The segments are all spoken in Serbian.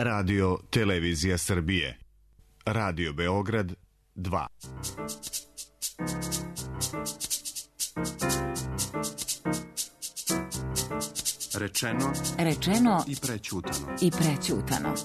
Radio Televizija Srbije. Radio Beograd 2. Rečeno i prećutano.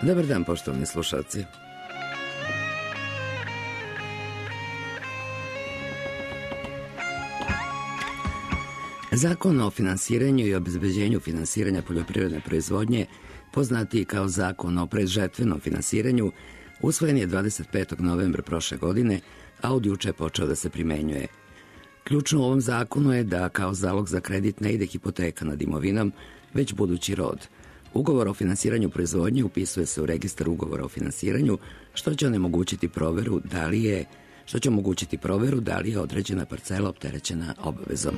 Dobar dan, poštovani slušalci. Zakon o finansiranju i obezbeđenju finansiranja poljoprivredne proizvodnje, poznatiji kao Zakon o predžetvenom finansiranju, usvojen je 25. novembra prošle godine, a od juče je počeo da se primenjuje. Ključno u ovom zakonu je da kao zalog za kredit ne ide hipoteka nad imovinom, već budući rod. Ugovor o finansiranju proizvodnje upisuje se u registar ugovora o finansiranju, što će omogućiti proveru da li je određena parcela opterećena obavezom.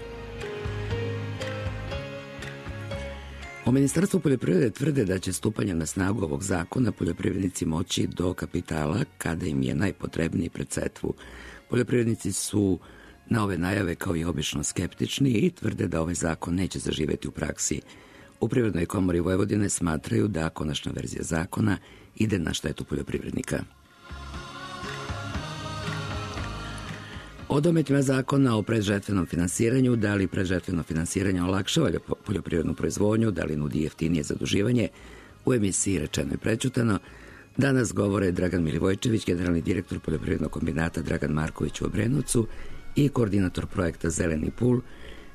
U Ministarstvu poljoprivrede tvrde da će stupanjem na snagu ovog zakona poljoprivrednici moći do kapitala kada im je najpotrebniji pred setvu. Poljoprivrednici su na ove najave kao i obično skeptični i tvrde da ovaj zakon neće zaživeti u praksi. U Privrednoj komori Vojvodine smatraju da konačna verzija zakona ide na štetu poljoprivrednika. O dometima zakona o predžetvenom finansiranju, da li predžetveno finansiranje olakšava poljoprivrednu proizvodnju, da li nudi jeftinije zaduživanje, u emisiji Rečeno i prećutano danas govore Dragan Milivojčević, generalni direktor poljoprivrednog kombinata Dragan Marković u Obrenovcu i koordinator projekta Zeleni pul,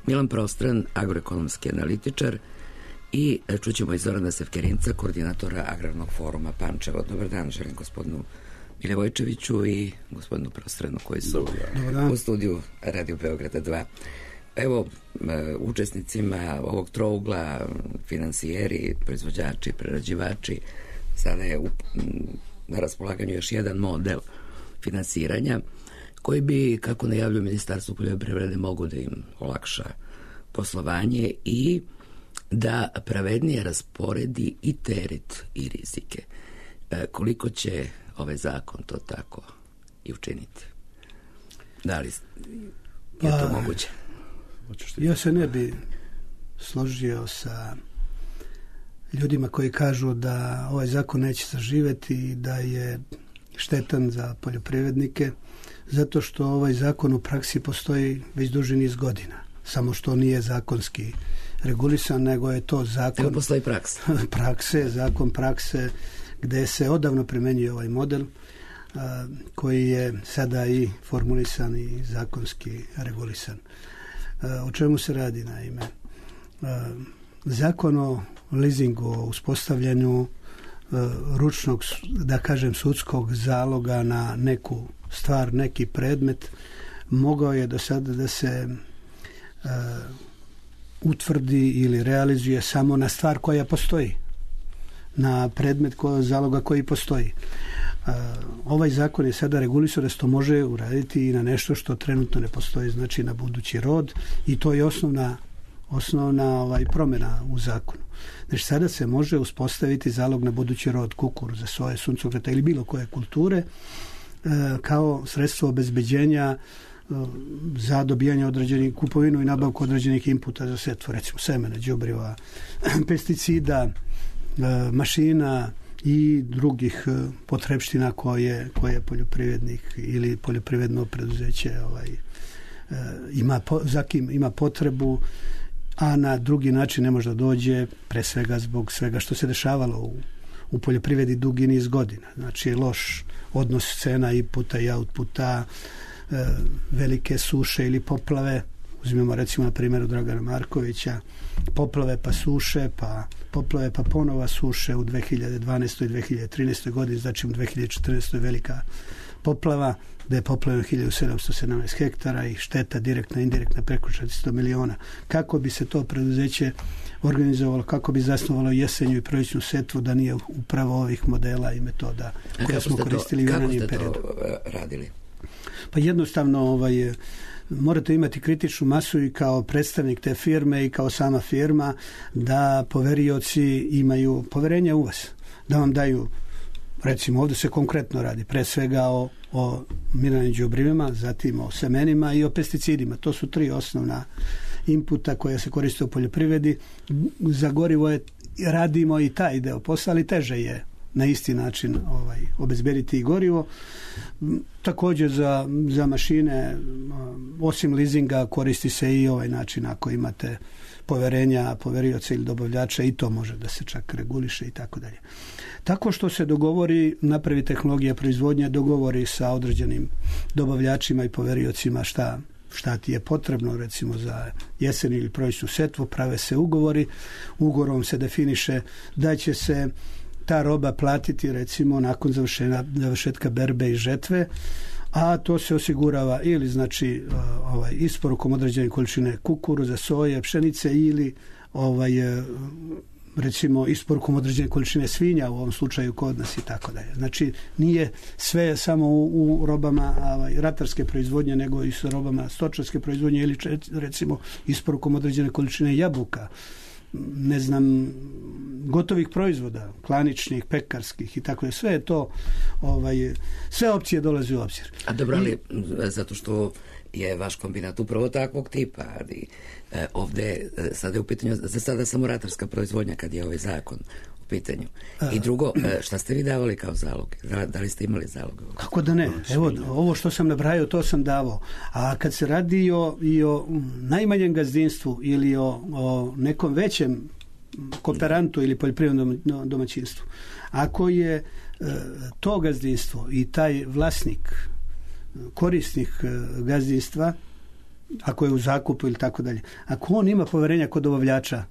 Milan Prostran, agroekonomski analitičar, i čućemo i Zorana Sevkerinca, koordinatora Agrarnog foruma Pančevo. Dobar dan, želim gospodinu Milivojčeviću i gospodinu Prostranu koji su u studiju Radio Beograda 2. Evo, učesnicima ovog trougla, finansijeri, proizvođači, prerađivači, sada je na raspolaganju još jedan model finansiranja koji bi, kako najavljuje Ministarstvo poljoprivrede, mogu da im olakša poslovanje i da pravednije rasporedi i teret i rizike. Koliko će ovaj zakon to tako i učiniti? Da li je to moguće? Ja se ne bi složio sa ljudima koji kažu da ovaj zakon neće zaživeti i da je štetan za poljoprivrednike, zato što ovaj zakon u praksi postoji već duži niz godina. Samo što nije zakonski regulisan, nego je to zakon... Evo postoji praksa. Zakon prakse gde se odavno primenjuje ovaj model koji je sada i formulisan i zakonski regulisan. O čemu se radi, naime? Zakon o leasingu, o uspostavljanju ručnog, da kažem, sudskog zaloga na neku stvar, neki predmet, mogao je do sada da se utvrdi ili realizuje samo na stvar koja postoji, na predmet zaloga koji postoji. Ovaj zakon je sada regulisao da se to može uraditi i na nešto što trenutno ne postoji, znači na budući rod, i to je osnovna promjena u zakonu. Znači sada se može uspostaviti zalog na budući rod kukuruza, soje, suncokreta ili bilo koje kulture kao sredstvo obezbeđenja za dobijanje određenih, kupovinu i nabavku određenih inputa za setvu, recimo semena, đubriva, pesticida, mašina i drugih potrepština koje poljoprivrednik ili poljoprivredno preduzeće ima potrebu, a na drugi način ne može da dođe, pre svega zbog svega što se dešavalo u poljoprivredi dugi niz godina. Znači loš odnos cena inputa i outputa, velike suše ili poplave. Uzmemo recimo na primjeru Dragana Markovića, poplave pa suše, pa poplave pa ponova suše u 2012. i 2013. godini, znači u 2014. velika poplava, da je poplavljeno 1717 hektara i šteta direktna, indirektna preko 400 miliona. Kako bi se to preduzeće organizovalo, kako bi zasnovalo jesenju i proljećnu setvu da nije upravo ovih modela i metoda koje smo koristili u ranijim periodu? Kako ste to radili? Pa jednostavno morate imati kritičnu masu i kao predstavnik te firme i kao sama firma da poverioci imaju poverenje u vas, da vam daju, recimo ovdje se konkretno radi pre svega o mineralnim đubrivima, zatim o semenima i o pesticidima. To su 3 osnovna inputa koja se koriste u poljoprivredi. Za gorivo radimo i taj deo posla, ali teže je na isti način obezbediti i gorivo. Također za mašine, osim leasinga, koristi se i ovaj način ako imate poverenja poverioca ili dobavljača, i to može da se čak reguliše i tako dalje. Tako što se dogovori, napravi tehnologija proizvodnje, dogovori sa određenim dobavljačima i poveriocima šta ti je potrebno, recimo za jesen ili proljećnu setvu, prave se ugovori, ugovorom se definiše da će se ta roba platiti recimo nakon završetka berbe i žetve, a to se osigurava ili znači isporukom određene količine kukuruza, soje, pšenice ili recimo isporukom određene količine svinja, u ovom slučaju kod nas i tako dalje. Znači nije sve samo u robama ratarske proizvodnje, nego i sa robama stočarske proizvodnje ili recimo isporukom određene količine jabuka, ne znam, gotovih proizvoda, klaničnih, pekarskih i tako je. Sve je to, sve opcije dolaze u obzir. A dobro, ali zato što je vaš kombinat upravo takvog tipa, ali ovdje sada je u pitanju, za sada samo ratarska proizvodnja kad je ovaj zakon u pitanju. I drugo, šta ste vi davali kao zalog? Da li ste imali zalog? Kako da ne? Evo, ovo što sam nabrajao, to sam davao. A kad se radi i o najmanjem gazdinstvu ili o nekom većem kooperantu ili poljoprivrednom domaćinstvu, ako je to gazdinstvo i taj vlasnik, korisnik gazdinstva, ako je u zakupu ili tako dalje, ako on ima poverenja kod dobavljača,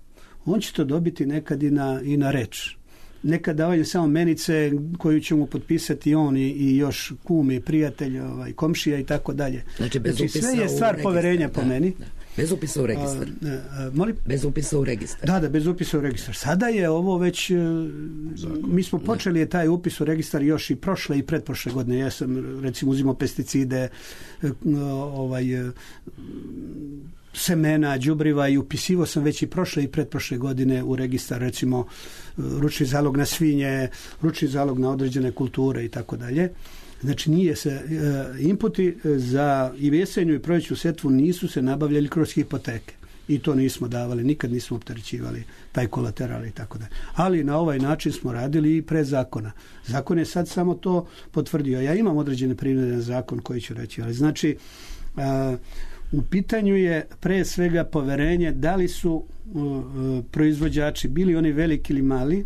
on će to dobiti nekad i na reč. Nekad davanje samo menice koju će mu potpisati on i još kum i prijatelj, komšija i tako dalje. Znači sve je stvar poverenja po meni. Da. Bez upisa u registar. Molim? Bez upisa u registar. Da, bez upisa u registar. Sada je ovo već, mi smo počeli taj upis u registar još i prošle i pretprošle godine. Ja sam recimo uzimao pesticide, semena, đubriva i upisivao sam već i prošle i pretprošle godine u registar, recimo ručni zalog na svinje, ručni zalog na određene kulture i tako dalje. Znači nije se, inputi za i jesenju i proljećnu setvu nisu se nabavljali kroz hipoteke. I to nismo davali, nikad nismo opterećivali taj kolateral i tako dalje. Ali na ovaj način smo radili i pre zakona. Zakon je sad samo to potvrdio. Ja imam određene primjere na zakon koji ću reći, ali znači u pitanju je pre svega poverenje da li su proizvođači, bili oni veliki ili mali,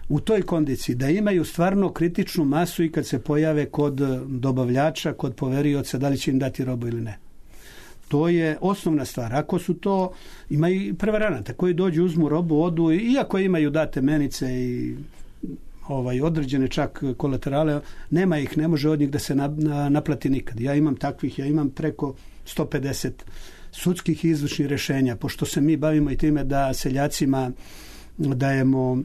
u toj kondiciji da imaju stvarno kritičnu masu i kad se pojave kod dobavljača, kod poverioca, da li će im dati robu ili ne. To je osnovna stvar. Ako su to, ima i prevaranata koji dođu, uzmu robu, odu, iako imaju date menice i određene čak kolaterale, nema ih, ne može od njih da se naplati nikad. Ja imam takvih, ja imam preko 150 sudskih i izvršnih rješenja, pošto se mi bavimo i time da seljacima dajemo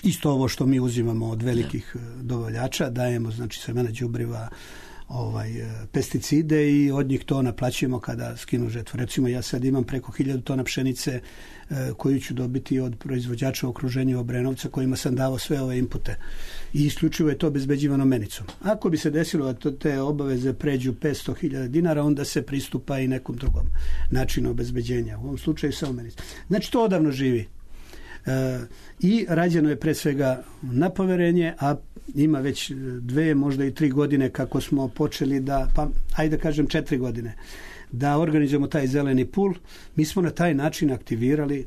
isto ovo što mi uzimamo od velikih dobavljača, dajemo znači semena đubriva, pesticide i od njih to naplaćujemo kada skinu žetvu. Recimo ja sad imam preko 1000 tona pšenice koju ću dobiti od proizvođača u okruženju Obrenovca kojima sam dao sve ove inpute i isključivo je to obezbeđivano menicom. Ako bi se desilo da te obaveze pređu 500.000 dinara, onda se pristupa i nekom drugom načinu obezbeđenja. U ovom slučaju samo menica. Znači to odavno živi. I rađeno je pre svega na poverenje, a ima već 2, možda i 3 godine kako smo počeli ajde kažem 4 godine, da organizujemo taj zeleni pul. Mi smo na taj način aktivirali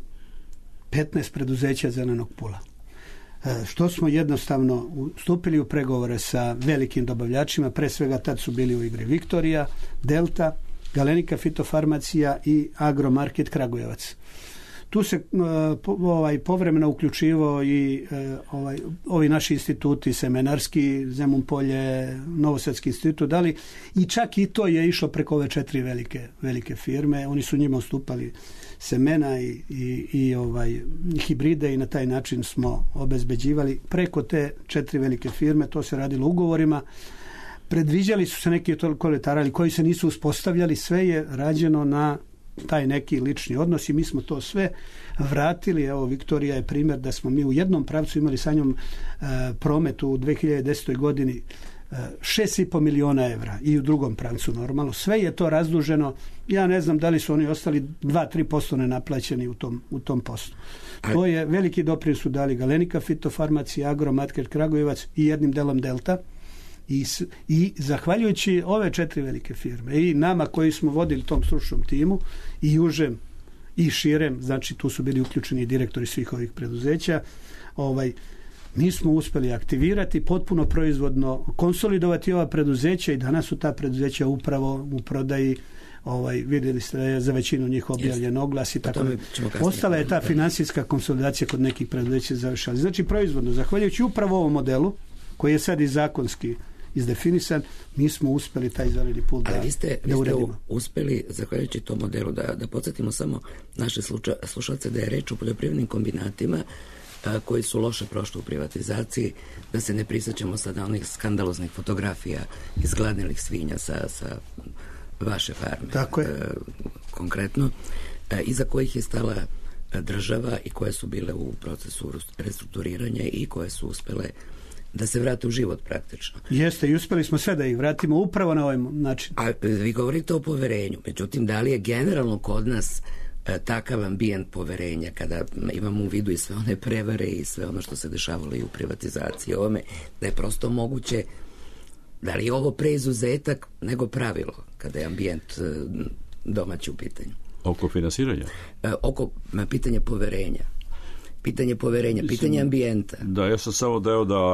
15 preduzeća zelenog pula. što smo jednostavno stupili u pregovore sa velikim dobavljačima, pre svega tad su bili u igri Viktorija, Delta, Galenika fitofarmacija i Agromarket Kragujevac. Tu se povremeno uključivao i ovi naši instituti, semenarski, Zemun Polje, Novosadski institut, dali i čak i to je išlo preko ove 4 velike firme. Oni su njima ustupali semena i hibride i na taj način smo obezbeđivali preko te 4 velike firme. To se radilo ugovorima. Predviđali su se neki koletarali koji se nisu uspostavljali. Sve je rađeno na taj neki lični odnos i mi smo to sve vratili. Evo, Viktorija je primjer da smo mi u jednom pravcu imali sa njom promet u 2010. godini 6,5 miliona evra i u drugom pravcu normalno. Sve je to razduženo. Ja ne znam da li su oni ostali 2-3% nenaplaćeni u tom poslu. To je veliki doprinos su dali Galenika fitofarmacija, Agromarket Kragujevac i jednim delom Delta. I zahvaljujući ove 4 velike firme i nama koji smo vodili tom stručnom timu i užem i širem, znači tu su bili uključeni direktori svih ovih preduzeća, mi smo uspjeli aktivirati, potpuno proizvodno konsolidovati ova preduzeća i danas su ta preduzeća upravo u prodaji. Vidjeli ste da je za većinu njih objavljen oglas i tako. Ostala je ta financijska konsolidacija kod nekih preduzeća završala. Znači proizvodno, zahvaljujući upravo ovom modelu koji je sad i zakonski izdefinisan, mi smo uspjeli taj zeleni put da uredimo. Ali vi ste uspjeli, zahvaljujući tom modelu, da podsjetimo samo naše slušalce da je reč o poljoprivrednim kombinatima koji su loše prošli u privatizaciji, da se ne prisjećamo sada onih skandaloznih fotografija izgladnelih svinja sa vaše farme. Tako je. Konkretno, iza kojih je stala država i koje su bile u procesu restrukturiranja i koje su uspjele da se vrate u život praktično. Jeste, i uspjeli smo sve da ih vratimo upravo na ovaj način. A vi govorite o poverenju, međutim, da li je generalno kod nas takav ambijent poverenja, kada imamo u vidu i sve one prevare i sve ono što se dešavalo i u privatizaciji ovome, da je prosto moguće, da li je ovo preizuzetak nego pravilo, kada je ambijent domaći u pitanju? Oko finansiranja? Oko pitanja poverenja. Pitanje ambijenta. Da, ja sam samo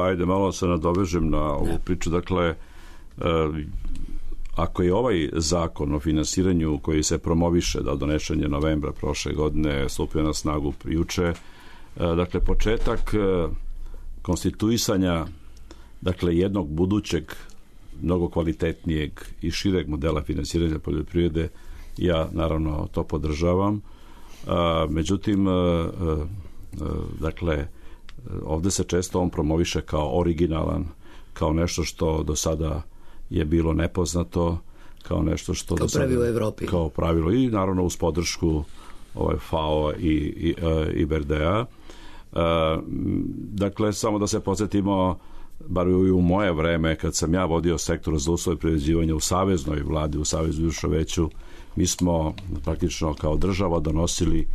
ajde malo se nadovežem na ovu priču. Dakle, ako je ovaj zakon o finansiranju koji se promoviše, da donešen je novembra prošle godine, stupio na snagu juče, dakle, početak konstituisanja, dakle, jednog budućeg, mnogo kvalitetnijeg i šireg modela finansiranja poljoprivrede, ja naravno to podržavam. Međutim, dakle, ovdje se često on promoviše kao originalan, kao nešto što do sada je bilo nepoznato, kao nešto što kao pravilo u Evropi. Kao pravilo i naravno uz podršku FAO i BRD-a. Dakle, samo da se podsjetimo, bar i u moje vreme, kad sam ja vodio sektor za uslove privređivanja u saveznoj vladi, u Savezu Juša Veću, mi smo praktično kao država donosili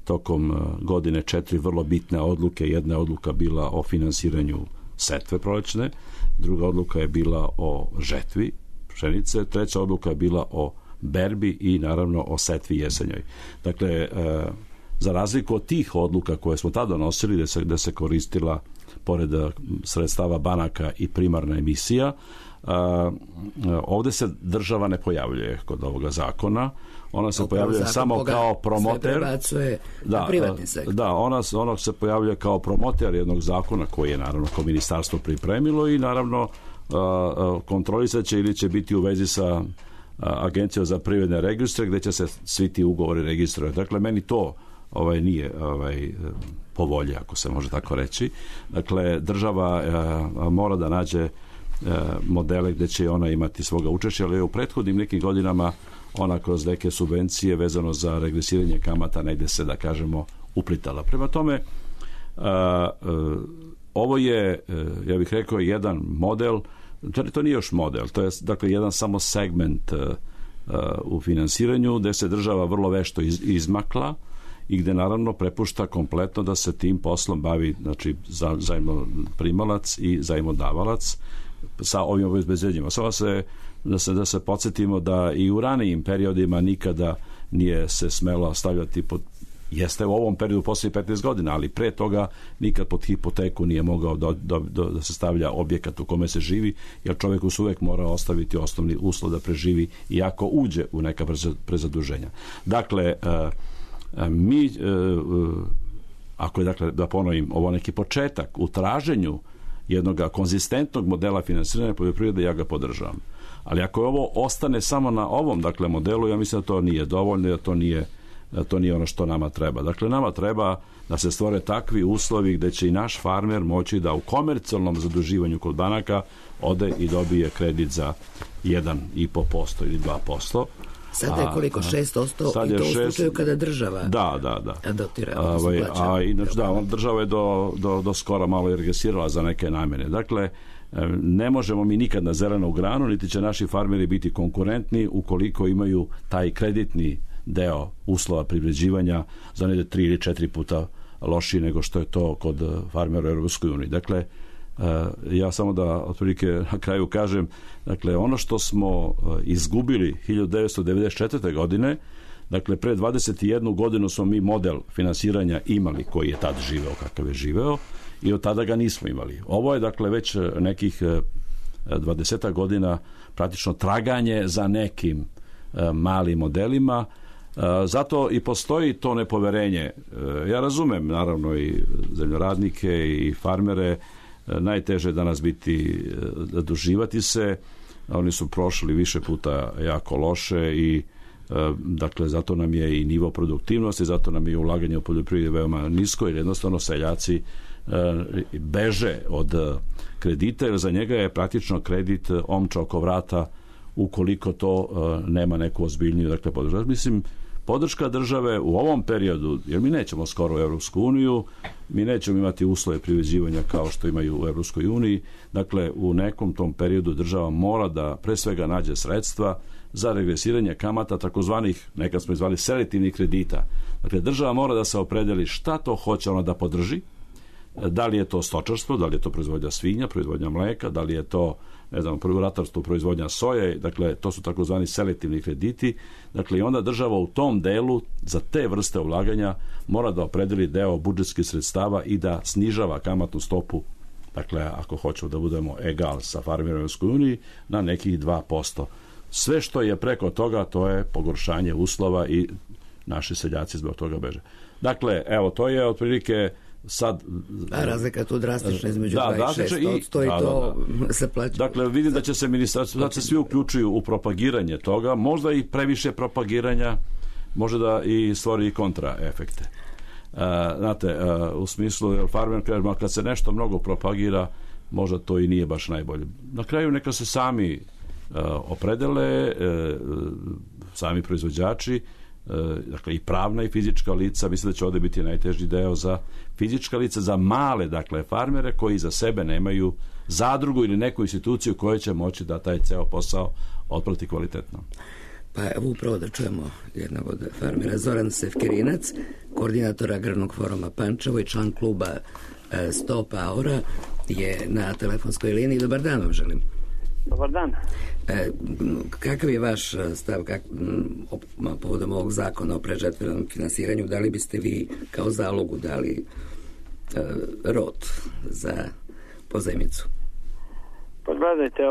tokom godine 4 vrlo bitne odluke. Jedna odluka bila o finansiranju setve prolećne, druga odluka je bila o žetvi pšenice, treća odluka je bila o berbi i naravno o setvi jesenjoj. Dakle, za razliku od tih odluka koje smo tada donosili, da se koristila pored sredstava banaka i primarna emisija, ovdje se država ne pojavljuje kod ovoga zakona. Ona se pojavljuje samo kao promoter. Na privatni sektor. Da, ona se pojavljuje kao promoter jednog zakona koji je naravno kao ministarstvo pripremilo i naravno kontrolisat će ili će biti u vezi sa Agencijom za privredne registre gdje će se svi ti ugovori registrovati. Dakle, meni to nije po volji, ako se može tako reći. Dakle, država mora da nađe modele gdje će ona imati svoga učešća, ali u prethodnim nekim godinama ona kroz neke subvencije vezano za regresiranje kamata negdje se, da kažemo, uplitala. Prema tome, ovo je, ja bih rekao, jedan model, to nije još model, to je dakle jedan samo segment u finansiranju gdje se država vrlo vešto izmakla i gdje naravno prepušta kompletno da se tim poslom bavi, znači zajmoprimalac i zajmodavalac sa ovim obezbeđenjima. Samo da se podsjetimo da i u ranijim periodima nikada nije se smelo stavljati pod Jeste u ovom periodu poslije 15 godina, ali pre toga nikad pod hipoteku nije mogao da se stavlja objekat u kome se živi, jer čovjeku se uvek mora ostaviti osnovni uslov da preživi i ako uđe u neka prezaduženja. Dakle, mi, ako je, dakle, da ponovim, ovo neki početak u traženju jednog konzistentnog modela finansiranja poljoprivrede, ja ga podržavam. Ali ako je ovo ostane samo na ovom, dakle, modelu, ja mislim da to nije dovoljno, da to nije ono što nama treba. Dakle, nama treba da se stvore takvi uslovi gde će i naš farmer moći da u komercijalnom zaduživanju kod banaka ode i dobije kredit za 1,5% ili 2%. Sada je koliko? 6% i to u slučaju kada država dotira. Inače, država je do skora malo i regresirala za neke namjene. Dakle, ne možemo mi nikad na zelenu granu, niti će naši farmeri biti konkurentni ukoliko imaju taj kreditni deo uslova privređivanja za negde 3 ili 4 puta lošiji nego što je to kod farmera u Europskoj uniji. Dakle, ja samo da otprilike na kraju kažem, dakle, ono što smo izgubili 1994. godine, dakle, pre 21 godinu smo mi model finansiranja imali koji je tad živeo kakav je živeo i od tada ga nismo imali. Ovo je, dakle, već nekih 20 godina praktično traganje za nekim malim modelima. Zato i postoji to nepoverenje. Ja razumem, naravno, i zemljoradnike i farmere. Najteže je danas biti, zaduživati se. Oni su prošli više puta jako loše i dakle, zato nam je i nivo produktivnosti, zato nam je ulaganje u poljoprivredi veoma nisko, jer jednostavno seljaci beže od kredita, jer za njega je praktično kredit omča oko vrata ukoliko to nema neku ozbiljniju, dakle, podržati. Mislim, podrška države u ovom periodu, jer mi nećemo skoro u Evropsku uniju, mi nećemo imati uslove privređivanja kao što imaju u Evropskoj uniji, dakle, u nekom tom periodu država mora da pre svega nađe sredstva za regresiranje kamata, takozvanih, nekad smo izvali selektivnih kredita. Dakle, država mora da se opredeli šta to hoće ona da podrži, da li je to stočarstvo, da li je to proizvodnja svinja, proizvodnja mleka, da li je to, ne znam, ratarstvo, proizvodnja soje, dakle, to su takozvani selektivni krediti. Dakle, i onda država u tom delu za te vrste ulaganja mora da opredeli deo budžetskih sredstava i da snižava kamatnu stopu, dakle, ako hoćemo da budemo egal sa farmerima u Europskoj uniji, na nekih 2%. Sve što je preko toga, to je pogoršanje uslova i naši seljaci zbog toga beže. Dakle, evo, to je otprilike sad... razlika je tu drastična između 2 i 6%, i to se plaća. Dakle, vidim da će se ministarstvo, da se svi uključuju u propagiranje toga, možda i previše propagiranja, može da i stvori kontraefekte. Znate, u smislu, farmer kaže, kad se nešto mnogo propagira, možda to i nije baš najbolje. Na kraju neka se sami opredele, sami proizvođači, dakle, i pravna i fizička lica. Mislim da će ovdje biti najteži deo za fizička lica, za male, dakle, farmere koji za sebe nemaju zadrugu ili neku instituciju koja će moći da taj ceo posao otprati kvalitetno. Pa evo upravo da čujemo jednog od farmera. Zoran Sefkerinac, koordinator Agrarnog foruma Pančevo i član kluba 100 Power je na telefonskoj liniji. Dobar dan vam želim. Dobar dan. Kakav je vaš stav povodom ovog zakona o predžetvenom finansiranju? Da li biste vi kao zalogu dali rod za pozajmicu? Pa gledajte,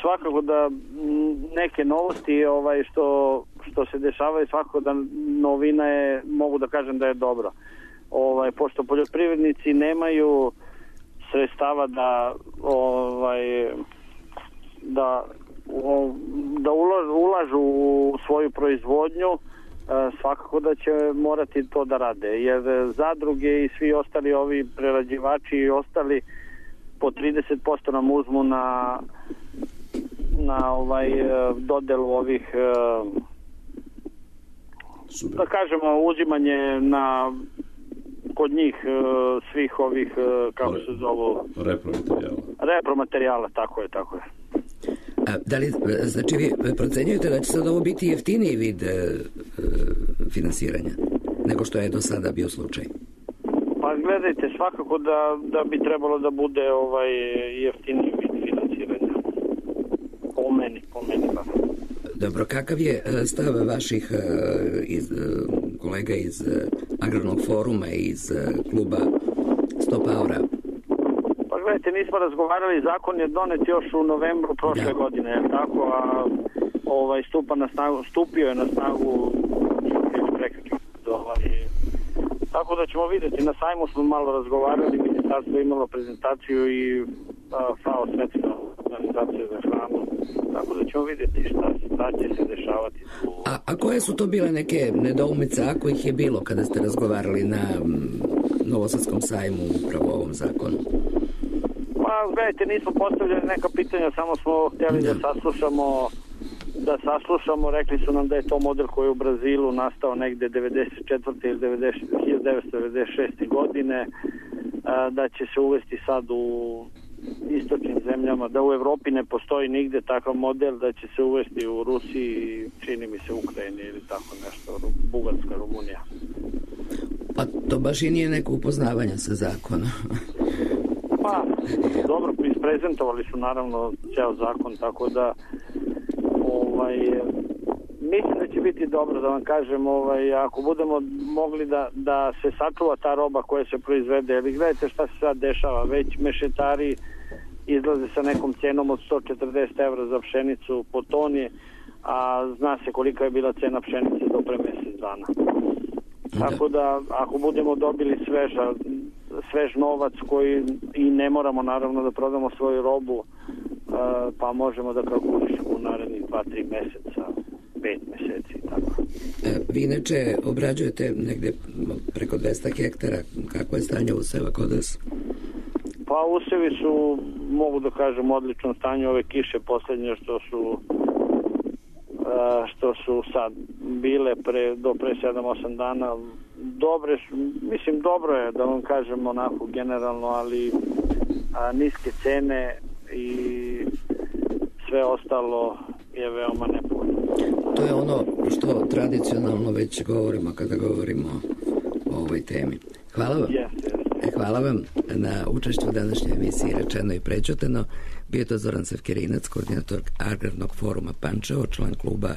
svakako da neke novosti što se dešavaju, svakako da novina je, mogu da kažem da je dobro. Pošto poljoprivrednici nemaju sredstava da ulažu u svoju proizvodnju, svakako da će morati to da rade, jer zadruge i svi ostali ovi prerađivači i ostali po 30% nam uzmu na dodelu ovih da kažemo uzimanje kod njih svih ovih kako se zovu repromaterijala, tako je. Da li, znači, vi procenjujete da će sad ovo biti jeftiniji vid finansiranja nego što je do sada bio slučaj? Pa gledajte, svakako da bi trebalo da bude jeftiniji vid finansiranja. Po meni. Dobro, kakav je stav vaših kolega iz agrarnog foruma i iz kluba Stop Aura? Pa gledajte, nismo razgovarali, zakon je donet još u novembru prošle godine, tako, a stupio je na snagu tako da ćemo vidjeti. Na sajmu smo malo razgovarali, ministarstvo je imalo prezentaciju i FAO, Svjetska organizacija za hranu, tako da ćemo vidjeti šta će se dešavati. A koje su to bile neke nedoumice, ako ih je bilo kada ste razgovarali na Novosadskom sajmu upravo o ovom zakonu? Pa gledajte, nismo postavljali neka pitanja, samo smo htjeli da saslušamo, rekli su nam da je to model koji je u Brazilu nastao negde 94. ili 1996. godine, da će se uvesti sad u istočnim zemljama, da u Evropi ne postoji nigde takav model, da će se uvesti u Rusiji, čini mi se Ukrajini ili tako nešto, Bugarska, Rumunija. Pa to baš i nije neko upoznavanje sa zakonom. Pa, dobro, isprezentovali su naravno ceo zakon, tako da mislim da će biti dobro, da vam kažem, ako budemo mogli da se sačuva ta roba koja se proizvede, jer gledajte šta se sad dešava, već mešetari izlaze sa nekom cenom od 140 evra za pšenicu po toni, a zna se kolika je bila cena pšenice do pre mjesec dana. Tako da, ako budemo dobili svež novac koji i ne moramo naravno da prodamo svoju robu, pa možemo da kalkulišemo u narednih 2-3 mjeseca, 5 mjeseci. Tako. Vi inače obrađujete negdje preko 200 hektara. Kako je stanje useva kod vas? Pa usevi su, mogu da kažem, u odličnom stanju. Ove kiše posljednje što su sad bile do pre 7-8 dana dobre su, mislim dobro je da vam kažem onako generalno, ali niske cene i sve ostalo je veoma nepovoljno. To je ono što tradicionalno već govorimo kada govorimo o ovoj temi. Hvala vam. Hvala vam na učešću u današnjoj emisiji Rečeno i prećutano. Bio to Zoran Sevkerinac, koordinator Agrarnog foruma Pančevo, član kluba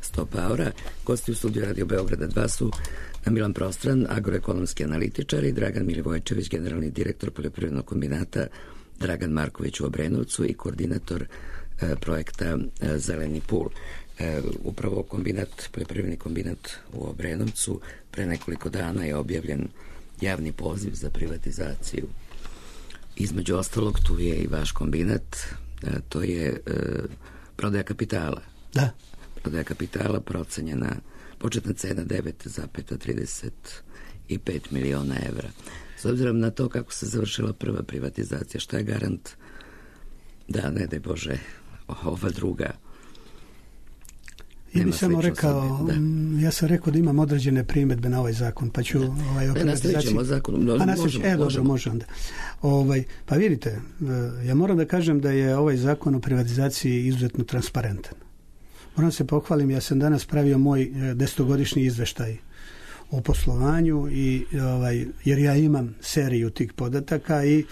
Stop Aura. Gosti u studiju Radio Beograda 2 su Milan Prostran, agroekonomski analitičar, i Dragan Milivojčević, generalni direktor poljoprivrednog kombinata Dragan Marković u Obrenovcu i koordinator projekta Zeleni pul. Upravo poljoprivredni kombinat u Obrenovcu pre nekoliko dana je objavljen javni poziv za privatizaciju. Između ostalog tu je i vaš kombinat, to je prodaja kapitala. Da. Prodaja kapitala procenjena, početna cena 9,35 miliona evra. S obzirom na to kako se završila prva privatizacija, šta je garant da, ne daj Bože, ova druga? Ja bih samo rekao, ja sam rekao da imam određene primjedbe na ovaj zakon, pa ću nastavit zakon. Može onda. Pa vidite, ja moram da kažem da je ovaj zakon o privatizaciji izuzetno transparentan. Moram se pohvalim, ja sam danas pravio moj 10-godišnji izveštaj o poslovanju jer ja imam seriju tih podataka i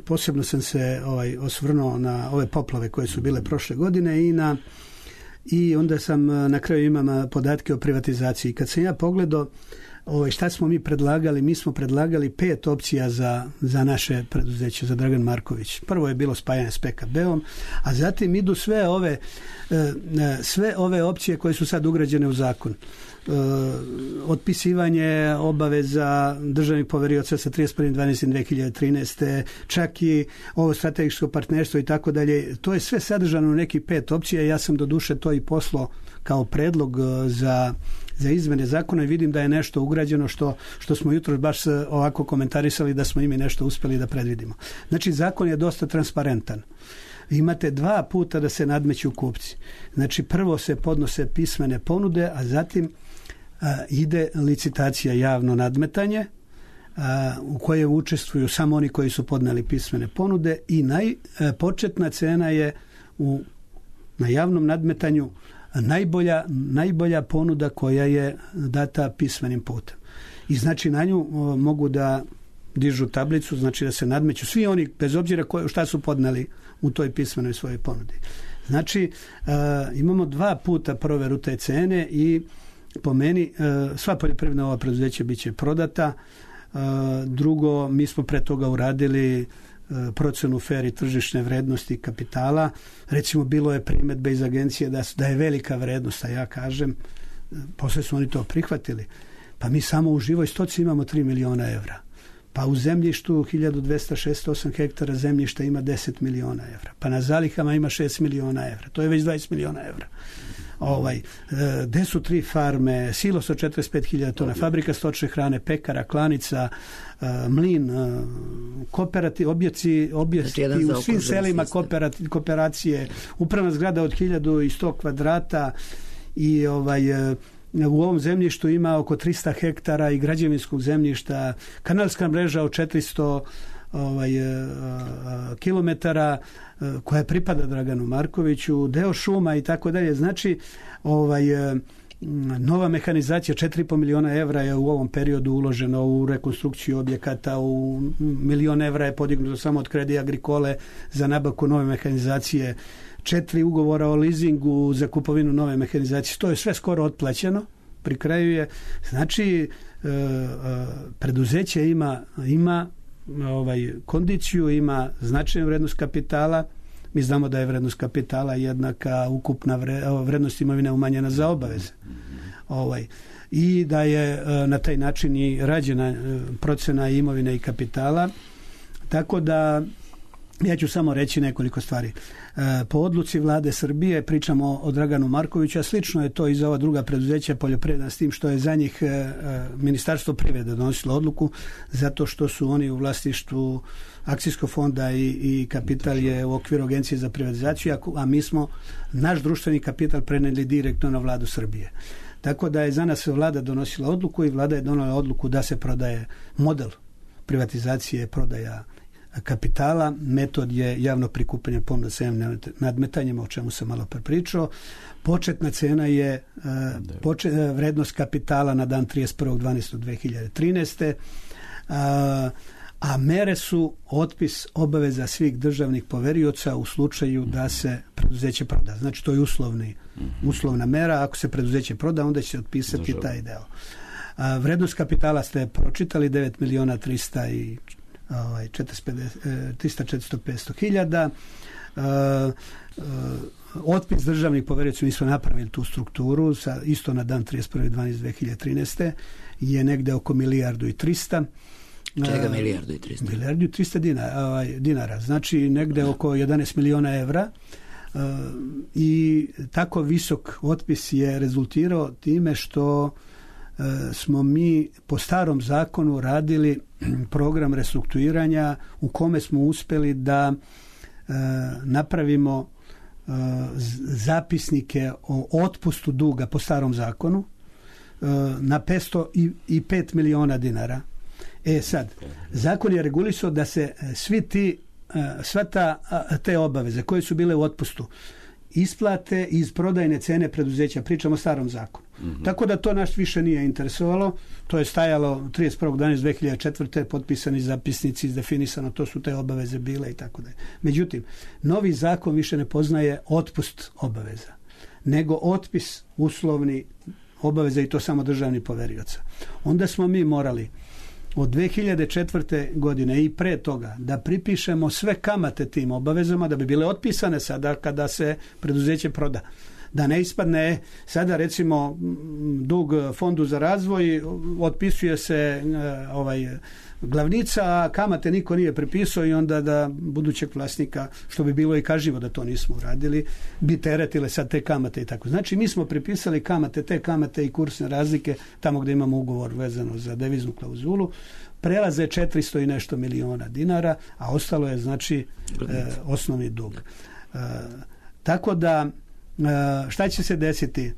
posebno sam se osvrnuo na ove poplave koje su bile prošle godine i onda sam na kraju imam podatke o privatizaciji. Kad sam ja pogledao šta smo mi predlagali, mi smo predlagali 5 opcija za naše preduzeće, za Dragan Marković. Prvo je bilo spajanje s PKB-om, a zatim idu sve ove opcije koje su sad ugrađene u zakon. Otpisivanje obaveza državnih poverioca sa 31.12.2013. čak i ovo strategijsko partnerstvo i tako dalje. To je sve sadržano u nekih 5 opcija. Ja sam doduše to i poslao kao predlog za izmene zakona i vidim da je nešto ugrađeno što smo jutros baš ovako komentarisali da smo imi nešto uspjeli da predvidimo. Znači, zakon je dosta transparentan. Imate 2 puta da se nadmeću kupci. Znači, prvo se podnose pismene ponude, a zatim ide licitacija, javno nadmetanje u kojoj učestvuju samo oni koji su podneli pismene ponude i početna cena je na javnom nadmetanju najbolja ponuda koja je data pismenim putem. I znači na nju mogu da dižu tablicu, znači da se nadmeću svi oni, bez obzira šta su podneli u toj pismenoj svojoj ponudi. Znači, imamo 2 puta proveru te cene i po meni, sva poljoprivredna ova preduzeća bit će prodata. Drugo, mi smo pre toga uradili procenu fer i tržišne vrednosti kapitala. Recimo, bilo je primedbe iz agencije da je velika vrednost, a ja kažem, posle su oni to prihvatili. Pa mi samo u živoj stoci imamo 3 miliona evra. Pa u zemljištu 1268 hektara zemljišta ima 10 miliona evra. Pa na zalihama ima 6 miliona evra. To je već 20 miliona evra. Gde su 3 farme, silos od 45.000 tona, fabrika stočne hrane, pekara, klanica, mlin, objekti u svim selima kooperacije, upravna zgrada od 1100 kvadrata i u ovom zemljištu ima oko 300 hektara i građevinskog zemljišta, kanalska mreža od 400 kilometara koja pripada Draganu Markoviću, deo šuma i tako dalje. Znači, nova mehanizacija, 4,5 miliona evra je u ovom periodu uloženo u rekonstrukciju objekata, u milion evra je podignuto samo od Credit Agricole za nabavku nove mehanizacije, 4 ugovora o lizingu za kupovinu nove mehanizacije. To je sve skoro otplaćeno, pri kraju je. Znači, preduzeće ima kondiciju, ima značajnu vrednost kapitala. Mi znamo da je vrednost kapitala jednaka ukupna vrednost imovine umanjena za obaveze. I da je na taj način i rađena procena imovine i kapitala. Tako da ja ću samo reći nekoliko stvari. Po odluci vlade Srbije, pričamo o Draganu Markoviću, a slično je to i za ova druga preduzeća poljoprivredna, s tim što je za njih Ministarstvo privrede donosilo odluku, zato što su oni u vlasništvu akcijskog fonda i kapital je u okviru Agencije za privatizaciju, a mi smo naš društveni kapital preneli direktno na vladu Srbije. Tako da je za nas vlada donosila odluku i vlada je donela odluku da se prodaje model privatizacije, prodaja kapitala, metod je javno prikupljanje ponuda sa javnim nadmetanjima, o čemu sam malo prepričao. Početna cena je vrednost kapitala na dan 31.12.2013. A mere su otpis obaveza svih državnih poverioca u slučaju da se preduzeće proda. Znači, to je uslovna mera. Ako se preduzeće proda, onda će se otpisati taj deo. Vrednost kapitala ste pročitali, 9 miliona 300-400 hiljada. Otpis državnih poverioca, mi smo napravili tu strukturu, isto na dan 31.12.2013. je negde oko 1,3 milijarde. Čega 1,3 milijarde? 1,3 milijarde dinara. Znači negde oko 11 miliona evra. I tako visok otpis je rezultirao time što smo mi po starom zakonu radili program restrukturiranja u kome smo uspeli da napravimo zapisnike o otpustu duga po starom zakonu na 505 miliona dinara. Sad, zakon je regulisao da se te obaveze koje su bile u otpustu isplate iz prodajne cene preduzeća. Pričamo o starom zakonu. Tako da to nas više nije interesovalo. To je stajalo 31.12.2004. potpisani zapisnici, izdefinisano, to su te obaveze bile i tako dalje. Međutim, novi zakon više ne poznaje otpust obaveza, nego otpis uslovni obaveza i to samo državnih poverioca. Onda smo mi morali od 2004. godine i pre toga da pripišemo sve kamate tim obavezama da bi bile otpisane sada kada se preduzeće proda. Da ne ispadne sada recimo dug fondu za razvoj, otpisuje se glavnica, a kamate niko nije pripisao i onda da budućeg vlasnika, što bi bilo i kažnjivo da to nismo uradili, bi teretile sad te kamate i tako. Znači mi smo pripisali te kamate i kursne razlike tamo gdje imamo ugovor vezano za deviznu klauzulu, prelaze 400 i nešto miliona dinara, a ostalo je znači osnovni dug. Tako da šta će se desiti?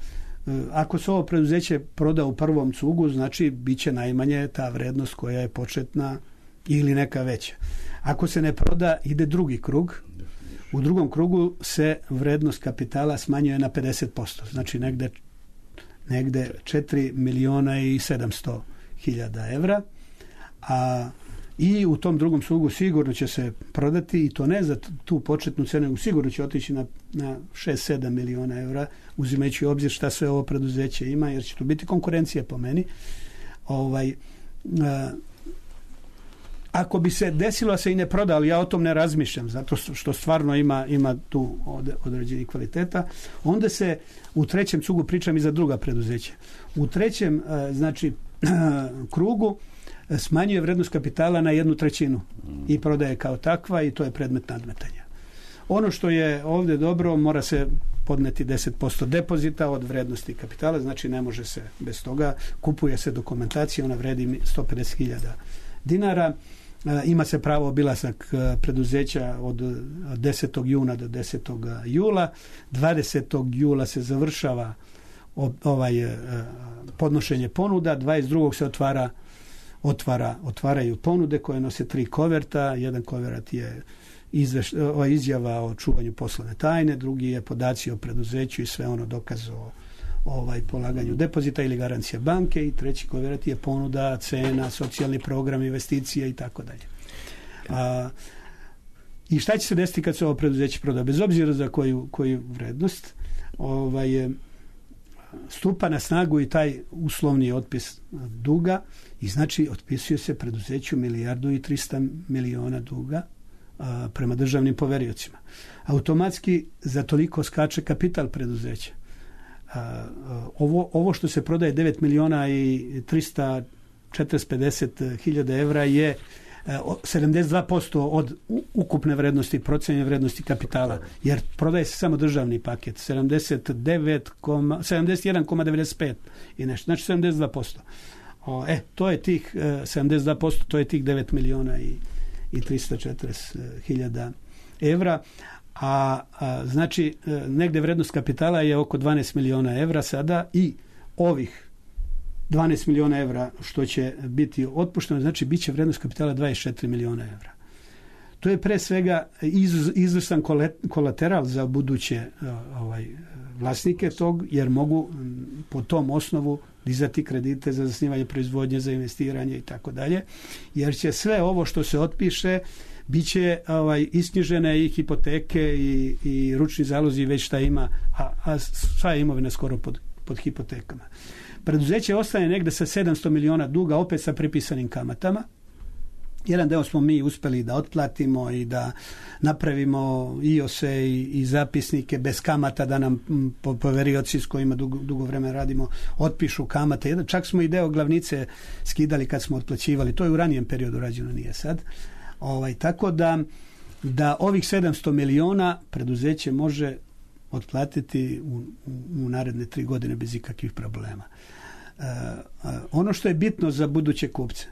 Ako se ovo preduzeće proda u prvom cugu, znači bit će najmanje ta vrednost koja je početna ili neka veća. Ako se ne proda, ide drugi krug. U drugom krugu se vrednost kapitala smanjuje na 50%. Znači negde 4 miliona i 700 hiljada evra. A i u tom drugom slugu sigurno će se prodati i to ne za tu početnu cenu, sigurno će otići na 6-7 miliona evra, uzimajući u obzir šta sve ovo preduzeće ima, jer će tu biti konkurencija po meni. Ako bi se desilo se i ne proda, ali ja o tom ne razmišljam, zato što stvarno ima tu određenih kvaliteta, onda se u trećem cugu, pričam i za druga preduzeća, u trećem krugu smanjuje vrednost kapitala na 1/3 i prodaje kao takva i to je predmet nadmetanja. Ono što je ovdje dobro, mora se podneti 10% depozita od vrednosti kapitala, znači ne može se bez toga, kupuje se dokumentacija, ona vredi 150.000 dinara, ima se pravo obilazak preduzeća od 10. juna do 10. jula, 20. jula se završava podnošenje ponuda, 22. se otvaraju ponude koje nose 3 koverta, jedan koverat je izjava o čuvanju poslovne tajne, drugi je podaci o preduzeću i sve ono dokaz o polaganju depozita ili garancija banke i treći koverat je ponuda, cena, socijalni program, investicije i tako dalje. I šta će se desiti kad se ovo preduzeće proda? Bez obzira za koju vrednost, stupa na snagu i taj uslovni otpis duga i znači otpisuje se preduzeću 1.300.000.000 duga prema državnim poveriocima. Automatski za toliko skače kapital preduzeća. Ovo što se prodaje 9.350.000 evra je 72% od ukupne vrednosti, procenjene vrednosti kapitala, jer prodaje se samo državni paket, 71,95 i nešto, znači 72%. To je tih 72%, to je tih 9.340.000 evra, znači negdje vrednost kapitala je oko 12 miliona evra sada i ovih 12 miliona evra što će biti otpušteno, znači bit će vrednost kapitala 24 miliona evra. To je pre svega izvrstan kolateral za buduće vlasnike tog, jer mogu po tom osnovu dizati kredite za zasnivanje proizvodnje, za investiranje i tako dalje, jer će sve ovo što se otpiše bit će isknjižene i hipoteke i ručni zalozi već šta ima, a sva je imovina skoro pod hipotekama. Preduzeće ostane negde sa 700 miliona duga, opet sa pripisanim kamatama. Jedan deo smo mi uspeli da otplatimo i da napravimo IOS-e i zapisnike bez kamata, da nam poverioci s kojima dugo vremena radimo otpišu kamate. Čak smo i deo glavnice skidali kad smo otplaćivali. To je u ranijem periodu rađeno, nije sad. Tako da ovih 700 miliona preduzeće može otplatiti u naredne 3 godine bez ikakvih problema. Ono što je bitno za buduće kupce,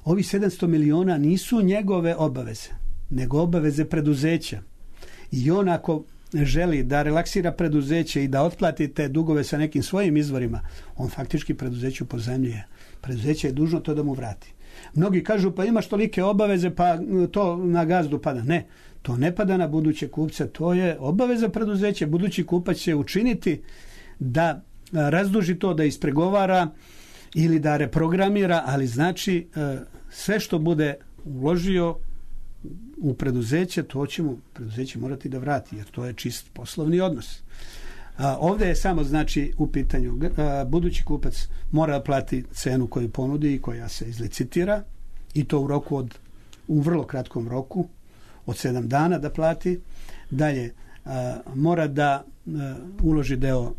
ovi 700 miliona nisu njegove obaveze, nego obaveze preduzeća. I on ako želi da relaksira preduzeće i da otplati te dugove sa nekim svojim izvorima, on faktički preduzeću pozajmljuje. Preduzeće je dužno to da mu vrati. Mnogi kažu pa imaš tolike obaveze pa to na gazdu pada. Ne, to ne pada na buduće kupce, to je obaveza preduzeća. Budući kupac će učiniti da razduži to, da ispregovara ili da reprogramira, ali znači sve što bude uložio u preduzeće, to će mu preduzeće morati da vrati, jer to je čist poslovni odnos. Ovdje je samo znači u pitanju budući kupac mora plati cenu koju ponudi i koja se izlicitira i to u vrlo kratkom roku od 7 dana da plati. Dalje mora da uloži deo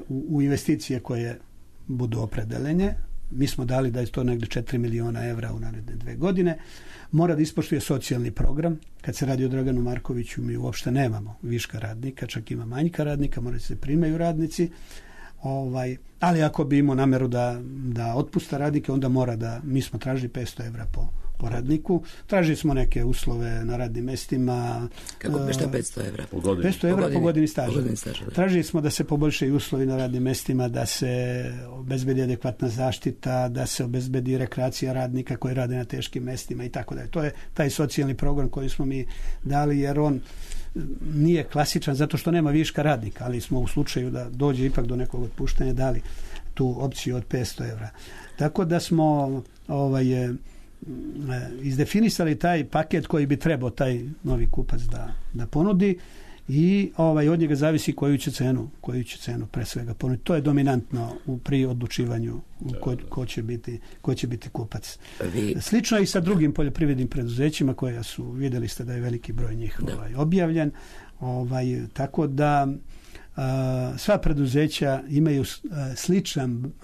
u investicije koje budu opredeljene. Mi smo dali da je to negdje 4 miliona evra u naredne 2 godine. Mora da ispoštuje socijalni program. Kad se radi o Draganu Markoviću, mi uopšte nemamo viška radnika, čak ima manjka radnika, mora se primaju radnici. Ali ako bi imao nameru da otpusta radnike, onda mora da, mi smo tražili 500 evra po radniku. Tražili smo neke uslove na radnim mestima. Kako bi šta 500 evra? 500 evra po godini staža. Tražili smo da se poboljšaju uslovi na radnim mestima, da se obezbedi adekvatna zaštita, da se obezbedi rekreacija radnika koji rade na teškim mestima i tako dalje. To je taj socijalni program koji smo mi dali, jer on nije klasičan zato što nema viška radnika, ali smo u slučaju da dođe ipak do nekog otpuštanja dali tu opciju od 500 evra. Tako da smo izdefinisali taj paket koji bi trebao taj novi kupac da ponudi i od njega zavisi koju će cenu pre svega ponuditi. To je dominantno pri odlučivanju ko će biti kupac. Slično je i sa drugim poljoprivrednim preduzećima koja su, vidjeli ste da je veliki broj njih objavljen. Tako da sva preduzeća imaju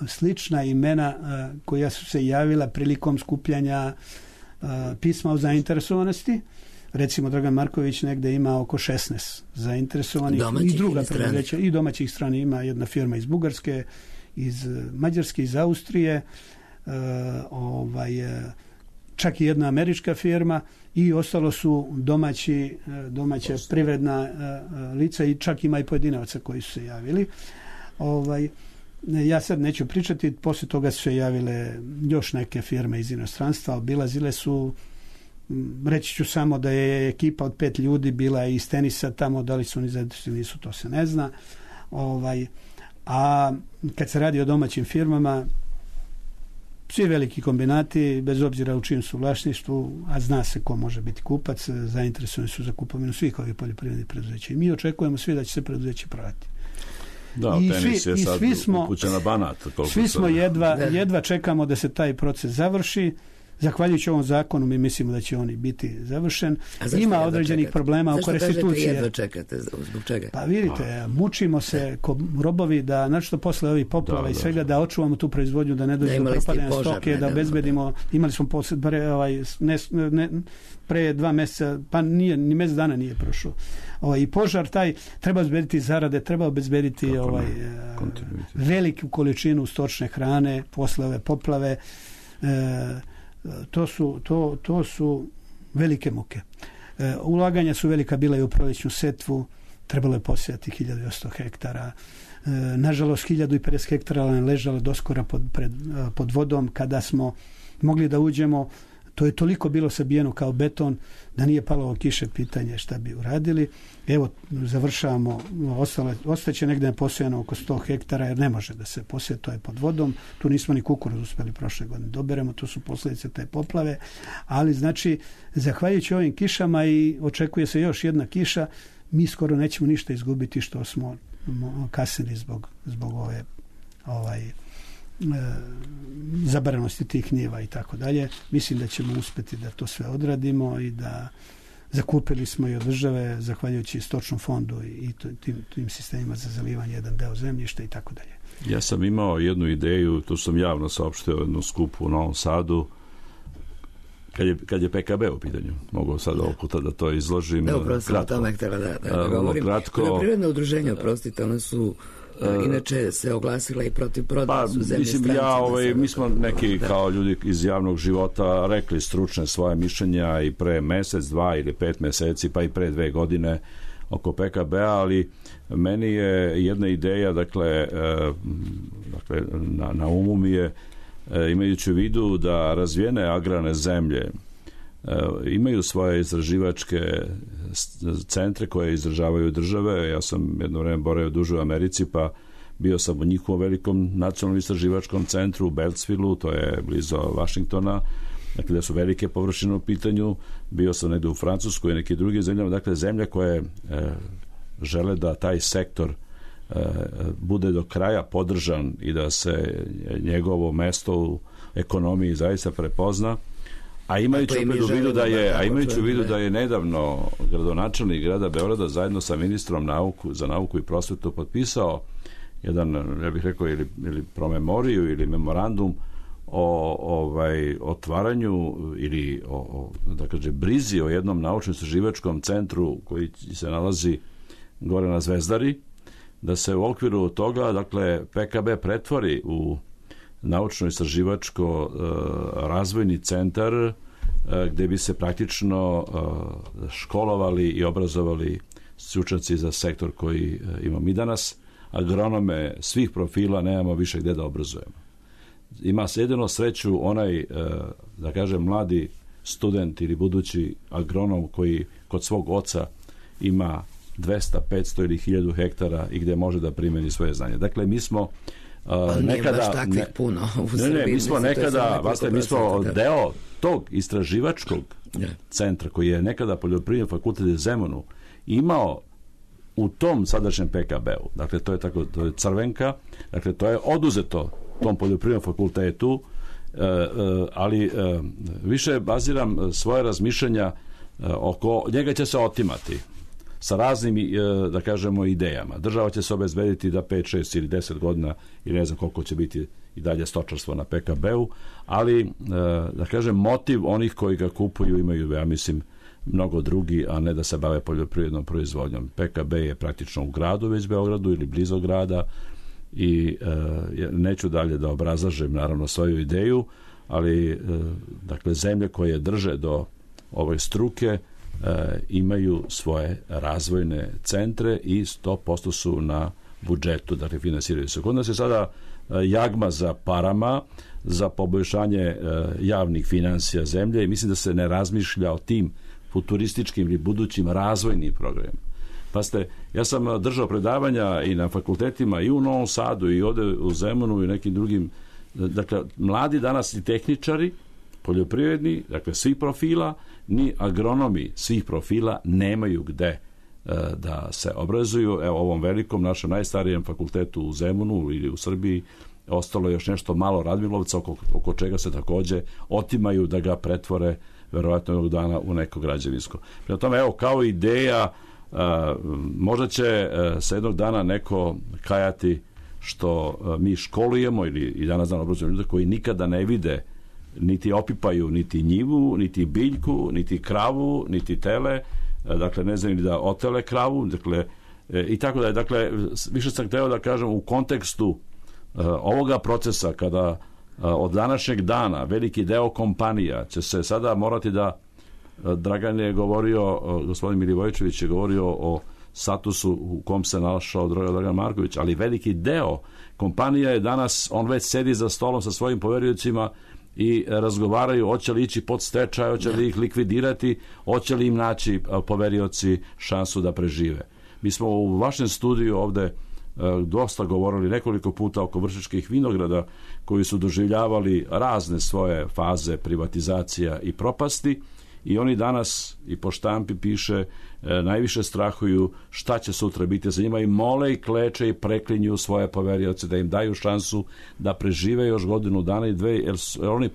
slična imena koja su se javila prilikom skupljanja pisma o zainteresovanosti. Recimo Dragan Marković negde ima oko 16 zainteresovanih i druga preduzeća i domaćih strana. Ima jedna firma iz Bugarske, iz Mađarske, iz Austrije, čak i jedna američka firma i ostalo su domaća privredna lica i čak ima i pojedinavaca koji su se javili. Ja sad neću pričati, poslije toga su se javile još neke firme iz inostranstva, obilazile su. Reći ću samo da je ekipa od 5 ljudi bila iz tenisa tamo, da li su oni zainteresovani, nisu, to se ne zna. A kad se radi o domaćim firmama, svi veliki kombinati, bez obzira u čijem su vlasništvu, a zna se ko može biti kupac, zainteresovani su za kupovinu svih ovih poljoprivrednih preduzeća. I mi očekujemo svi da će se preduzeće prodati. Da, tenis je sad upućen na Banat. Svi smo jedva čekamo da se taj proces završi. Zahvaljujući ovom zakonu mi mislimo da će oni biti završen. Ima određenih problema oko restitucije. Zašto jedva čekate? Zbog čega? Pa vidite, mučimo se ko robovi da, znači posle ovih poplava i svega, da očuvamo tu proizvodnju, da ne dođe do propadanja stoke, da obezbedimo. Imali smo pre 2 mjeseca, pa nije, ni mjesec dana nije prošao. I požar taj, treba obezbediti zarade, treba obezbediti veliku količinu stočne hrane posle ove poplave. To su velike muke. Ulaganja su velika bila i u proljećnu setvu, trebalo je posijati 1100 hektara. Nažalost, 1050 hektara ležalo doskora pod vodom. Kada smo mogli da uđemo, to je toliko bilo sabijeno kao beton da nije palo kiše, pitanje šta bi uradili. Evo, završavamo, ostaće negdje neposijano oko 100 hektara jer ne može da se posije, to je pod vodom. Tu nismo ni kukuruz uspjeli prošle godine doberemo, to su posljedice te poplave, ali znači zahvaljujući ovim kišama i očekuje se još jedna kiša, mi skoro nećemo ništa izgubiti što smo kasnili zbog ove zabranosti tih njiva i tako dalje. Mislim da ćemo uspjeti da to sve odradimo i da zakupili smo i od države, zahvaljujući stočnom fondu i tim sistemima za zalivanje, jedan deo zemljišta i tako dalje. Ja sam imao jednu ideju, to sam javno saopštio jednu skupu u Novom Sadu, kad je PKB u pitanju. Mogu sad ovog puta da to izložim. Upravo sam o tome htjela da govorim. Poljoprivredne udruženja, oprostite, one su inače se oglasila i protiv prodaje su zemlje stranci. Mi smo neki kao ljudi iz javnog života rekli stručne svoje mišljenja i pre mjesec, 2 ili 5 mjeseci, pa i pre 2 godine oko PKB-a, ali meni je jedna ideja, dakle na umu mi je, imajući u vidu da razvijene agrarne zemlje imaju svoje istraživačke centre koje izražavaju države. Ja sam jedno vrijeme boravio duže u Americi, pa bio sam u njihovom velikom nacionalnom istraživačkom centru u Beltsvillu, to je blizu Washingtona, dakle da su velike površine u pitanju. Bio sam negdje u Francuskoj i neki drugi zemljama, dakle zemlje koje žele da taj sektor bude do kraja podržan i da se njegovo mesto u ekonomiji zaista prepozna. A imajući u vidu da je nedavno gradonačelnik grada Beograda zajedno sa ministrom za nauku i prosvetu potpisao jedan, ja bih rekao, ili promemoriju ili memorandum o otvaranju ili da kaže brizi o jednom naučno-istraživačkom centru koji se nalazi gore na Zvezdari, da se u okviru toga, dakle, PKB pretvori u naučno-istraživačko razvojni centar gdje bi se praktično školovali i obrazovali stručnjaci za sektor koji imamo mi danas. Agronome svih profila nemamo više gdje da obrazujemo. Ima se jedino sreću onaj, da kažem, mladi student ili budući agronom koji kod svog oca ima 200, 500 ili 1000 hektara i gdje može da primeni svoje znanje. Dakle, mi smo nekada baš takvih puno u Srbiji. Mi smo nekada, mi smo deo tog istraživačkog centra koji je nekada Poljoprivredni fakultet u Zemunu imao u tom sadašnjem PKB-u. Dakle, to je Crvenka, dakle, to je oduzeto tom Poljoprivrednom fakultetu, ali više baziram svoje razmišljanja oko njega će se otimati sa raznim, da kažemo, idejama. Država će se obezbediti da 5, 6 ili 10 godina ili ne znam koliko će biti i dalje stočarstvo na PKB-u, ali da kažem, motiv onih koji ga kupuju imaju, ja mislim, mnogo drugi, a ne da se bave poljoprivrednom proizvodnjom. PKB je praktično u gradu, već Beogradu ili blizu grada, i neću dalje da obrazlažem naravno svoju ideju, ali dakle zemlje koje drže do ove struke imaju svoje razvojne centre i 100% su na budžetu, dakle finansiraju se. Kod nas je sada jagma za parama, za poboljšanje javnih finansija zemlje i mislim da se ne razmišlja o tim futurističkim ili budućim razvojnim programima. Pa ja sam držao predavanja i na fakultetima i u Novom Sadu i ovde u Zemunu i nekim drugim, dakle, mladi danas i tehničari, poljoprivredni, dakle, svih profila, ni agronomi svih profila nemaju gde da se obrazuju. Evo, ovom velikom, našem najstarijem fakultetu u Zemunu ili u Srbiji, ostalo je još nešto malo Radmilovca oko čega se takođe otimaju da ga pretvore verovatno jednog dana u neko građevinsko. Prema tome, evo, kao ideja, možda će se jednog dana neko kajati što mi školujemo ili i danas dan obrazujemo ljude koji nikada ne vide, niti opipaju niti njivu, niti biljku, niti kravu, niti tele, dakle ne znam ni da otele kravu, dakle i tako da je. Dakle, više sam hteo da kažem u kontekstu ovoga procesa kada od današnjeg dana veliki deo kompanija će se sada morati da, Dragan je govorio, gospodin Milivojević je govorio o statusu u kom se našao Dragan Marković, ali veliki deo kompanija je danas, on već sedi za stolom sa svojim poveriocima i razgovaraju hoće li ići pod stečaj, hoće li ih likvidirati, hoće li im naći poverioci šansu da prežive. Mi smo u vašem studiju ovde dosta govorili nekoliko puta oko Vršačkih vinograda koji su doživljavali razne svoje faze privatizacija i propasti i oni danas i po štampi piše najviše strahuju šta će sutra biti za njima i mole i kleče i preklinju svoje poverioce da im daju šansu da prežive još godinu dana i dve, jer oni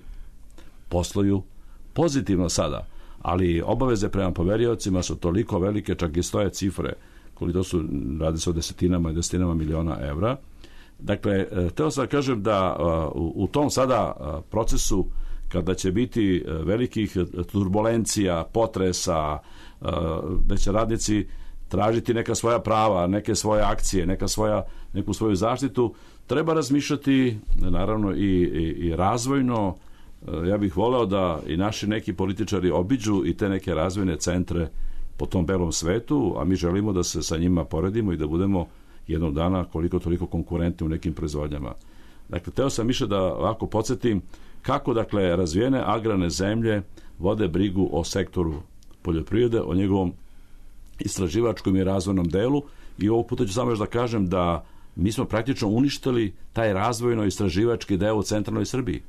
posluju pozitivno sada, ali obaveze prema poveriocima su toliko velike, čak i stoje cifre koliko su, radi se o desetinama i desetinama miliona evra. Dakle, teo sam da kažem da u tom sada procesu kada će biti velikih turbulencija, potresa, da će radnici tražiti neka svoja prava, neke svoje akcije, neku svoju zaštitu, treba razmišljati naravno i razvojno. Ja bih voleo da i naši neki političari obiđu i te neke razvojne centre po tom belom svetu, a mi želimo da se sa njima poredimo i da budemo jednog dana koliko toliko konkurentni u nekim proizvodnjama. Dakle, teo sam više da ovako podsjetim kako, dakle, razvijene agrarne zemlje vode brigu o sektoru poljoprivrede, o njegovom istraživačkom i razvojnom delu i ovog puta ću samo još da kažem da mi smo praktično uništili taj razvojno-istraživački deo u centralnoj Srbiji.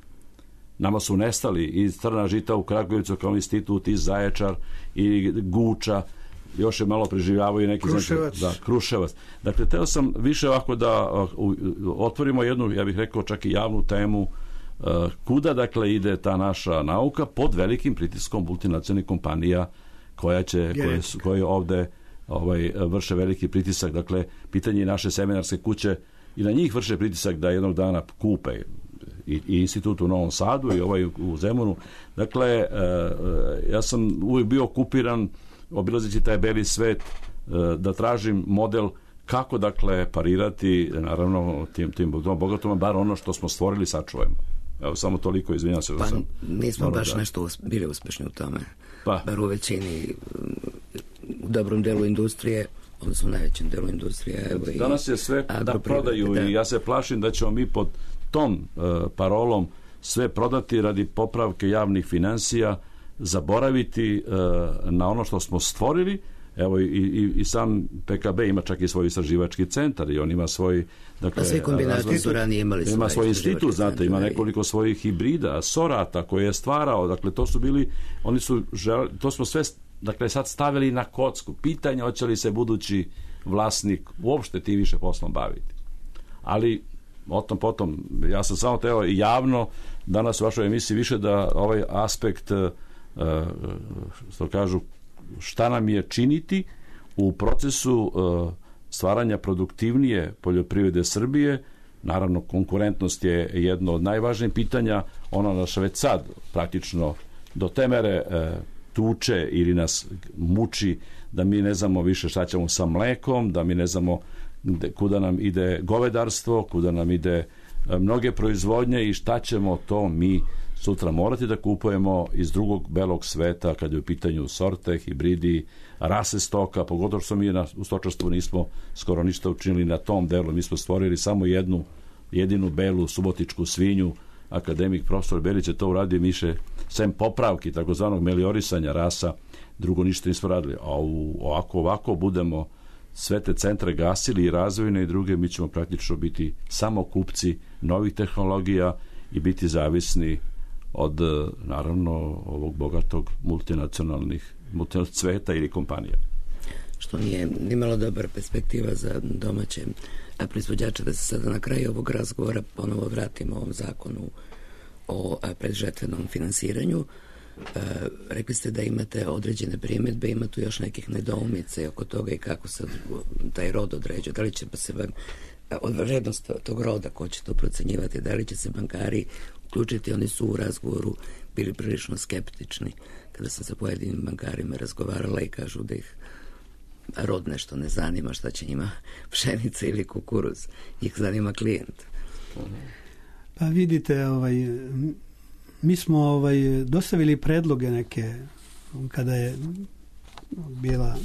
Nama su nestali i Crna žita u Kragujevcu kao institut, i Zaječar, i Guča, još je malo preživljavaju neki Kruševac. Kruševac. Dakle, teo sam više ovako da otvorimo jednu, ja bih rekao, čak i javnu temu kuda, dakle, ide ta naša nauka pod velikim pritiskom multinacionalnih kompanija koje ovde vrše veliki pritisak. Dakle, pitanje naše seminarske kuće i na njih vrše pritisak da jednog dana kupe i institut u Novom Sadu i ovaj u Zemunu. Dakle, ja sam uvijek bio okupiran obilazeći taj beli svet da tražim model kako, dakle, parirati naravno tim bogatom, bar ono što smo stvorili sačuvajmo. Evo, samo toliko, izvinjam se. Nismo baš nešto bili uspešni u tome. Bar u većini, u dobrom delu industrije, odnosno u najvećem delu industrije. Evo, danas je sve da prodaju i ja se plašim da ćemo mi pod tom parolom sve prodati radi popravke javnih finansija, zaboraviti na ono što smo stvorili Evo i sam PKB ima čak i svoj istraživački centar i on ima svoj... Dakle, svi kombinati su ranije imali ima svoj institut, znate, ima nekoliko svojih hibrida, sorata koje je stvarao, dakle to su bili, oni su to smo sve, dakle sad stavili na kocku. Pitanje hoće li se budući vlasnik uopšte ti više poslom baviti. Ali o tom potom, ja sam samo teo javno danas u vašoj emisiji više da ovaj aspekt što kažu šta nam je činiti u procesu stvaranja produktivnije poljoprivrede Srbije. Naravno, konkurentnost je jedno od najvažnijih pitanja. Ona nas već sad praktično do te mere tuče ili nas muči da mi ne znamo više šta ćemo sa mlekom, da mi ne znamo kuda nam ide govedarstvo, kuda nam ide mnoge proizvodnje i šta ćemo to mi sutra morati da kupujemo iz drugog belog sveta kad je u pitanju sorte, hibridi, rase stoka, pogotovo što mi u stočarstvu nismo skoro ništa učinili na tom delu. Mi smo stvorili samo jedinu belu subotičku svinju. Akademik profesor Belić je to uradio više sem popravki takozvanog meliorisanja rasa, drugo ništa nismo radili. A ovako budemo sve te centre gasili i razvojne i druge, mi ćemo praktično biti samo kupci novih tehnologija i biti zavisni od, naravno, ovog bogatog multinacionalnih cveta ili kompanija. Što nije nimalo dobra perspektiva za domaće proizvođače. Da se sada na kraju ovog razgovora ponovo vratimo ovom zakonu o predžetvenom finansiranju. Rekli ste da imate određene primjedbe, ima tu još nekih nedoumica oko toga i kako se taj rod određuje. Da li će se od vrednost tog roda, ko će to procenjivati, da li će se bankari uključiti? Oni su u razgovoru bili prilično skeptični kada sam sa pojedinim bankarima razgovarala i kažu da ih rod nešto ne zanima, šta će njima pšenica ili kukuruz, ih zanima klijent. Pa vidite, mi smo dostavili predloge neke kada je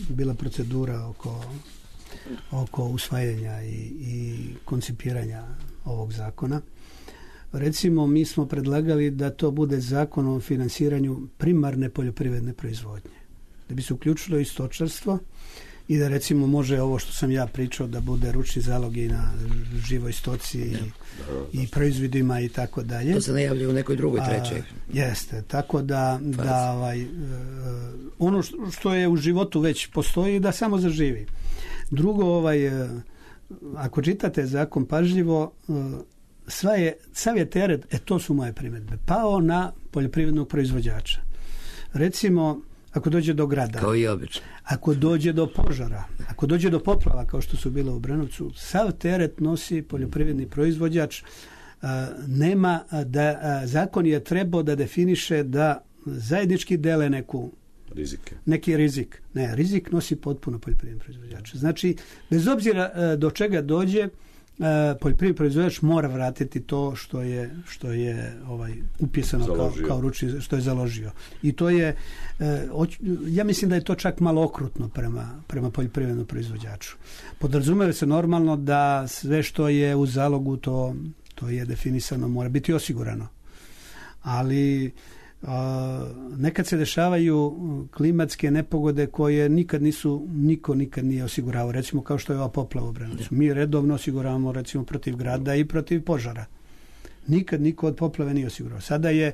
bila procedura oko usvajanja i koncipiranja ovog zakona. Recimo, mi smo predlagali da to bude zakon o finansiranju primarne poljoprivredne proizvodnje. Da bi se uključilo i stočarstvo i da recimo može ovo što sam ja pričao da bude ručni zalog i na živoj stoci i proizvodima i tako dalje. To se najavlja u nekoj drugoj, trećoj. Jeste, tako da ono što je u životu već postoji da samo zaživi. Drugo, ako čitate zakon pažljivo, sav je teret, to su moje primjedbe, pao na poljoprivrednog proizvođača. Recimo, ako dođe do grada, kao i obično, ako dođe do požara, ako dođe do poplava kao što su bile u Brenovcu, sav teret nosi poljoprivredni proizvođač. Zakon je trebao da definiše da zajednički dele neki rizik. Ne, rizik nosi potpuno poljoprivredni proizvođač. Znači, bez obzira do čega dođe, poljoprivredni proizvođač mora vratiti to što je upisano kao ručni, što je založio. I to je, ja mislim da je to čak malo okrutno prema poljoprivrednom proizvođaču. Podrazumeva se normalno da sve što je u zalogu to je definisano, mora biti osigurano. Ali nekad se dešavaju klimatske nepogode koje niko nikad nije osiguravao. Recimo kao što je ova poplava u Brenovcu. Mi redovno osiguravamo recimo protiv grada i protiv požara. Nikad niko od poplave nije osigurao. Sada je